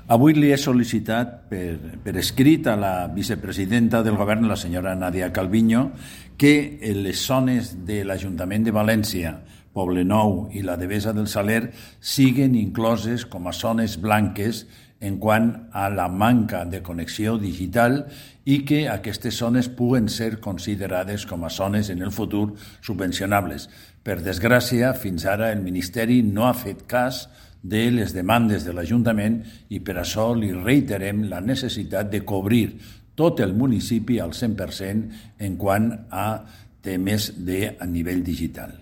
Avui li he sol·licitat per escrit a la vicepresidenta del govern, la senyora Nadia Calviño, que les zones de l'Ajuntament de València, Poblenou i la Devesa del Saler siguen incloses com a zones blanques en quant a la manca de connexió digital i que aquestes zones puguen ser considerades com a zones en el futur subvencionables. Per desgràcia, fins ara el Ministeri no ha fet cas de les demandes de l'Ajuntament i per això li reiterem la necessitat de cobrir tot el municipi al 100% en quant a temes a nivell digital.